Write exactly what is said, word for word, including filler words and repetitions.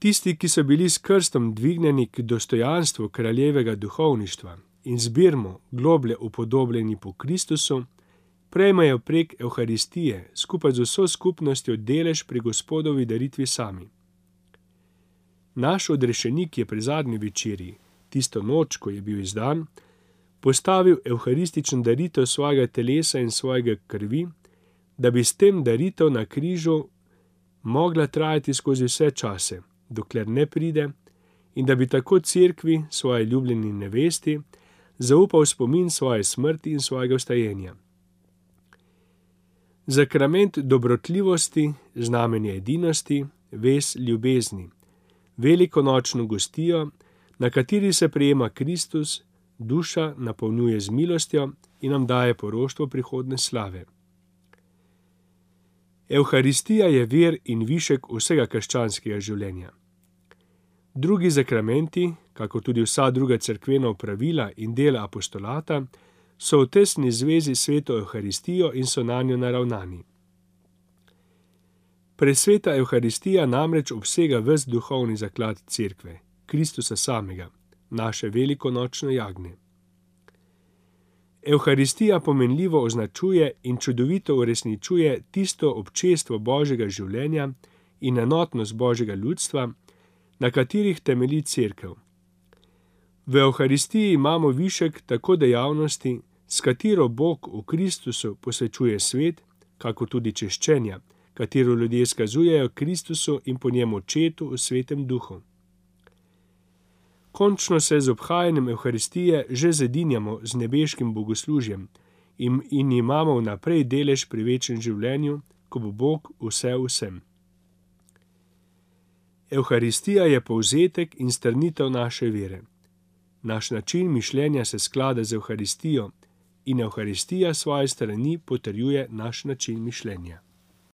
Tisti, ki so bili s krstom dvignjeni k dostojanstvu kraljevega duhovništva in zbirmo globlje upodobljeni po Kristusu, prejmejo prek Evharistije skupaj z vso skupnostjo delež pri Gospodovi daritvi sami. Naš odrešenik je pri zadnji večerji, tisto noč, ko je bil izdan, postavil evharističen daritev svojega telesa in svojega krvi, da bi s tem daritev na križu mogla trajati skozi vse čase, dokler ne pride, in da bi tako cerkvi, svoji ljubljeni nevesti, zaupal spomin svoje smrti in svojega vstajenja. Zakrament dobrotljivosti, znamenje edinosti, vez ljubezni, velikonočno gostijo, na kateri se prejema Kristus, duša napolnjuje z milostjo in nam daje poroštvo prihodne slave. Evharistija je vir in višek vsega krščanskega življenja. Drugi zakramenti, kako tudi vsa druga cerkvena opravila in dela apostolata, so v tesni zvezi s sveto Evharistijo in so nanjo naravnani. Presveta Evharistija namreč obsega ves duhovni zaklad cerkve, Kristusa samega, naše velikonočno jagnje. Evharistija pomenljivo označuje in čudovito uresničuje tisto občestvo Božjega življenja in enotnost Božjega ljudstva, na katerih temelji cerkev. V Evharistiji imamo višek tako dejavnosti, s katero Bog v Kristusu posvečuje svet, kako tudi češčenja, katero ljudje skazujejo Kristusu in po njem Očetu v Svetem Duhu. Končno se z obhajanjem Evharistije že zedinjamo z nebeškim bogoslužjem in, in imamo vnaprej delež pri večnem življenju, ko bo Bog vse vsem. Evharistija je povzetek in strnitev naše vere. Naš način mišljenja se sklada z Evharistijo in Evharistija svoje strani potrjuje naš način mišljenja.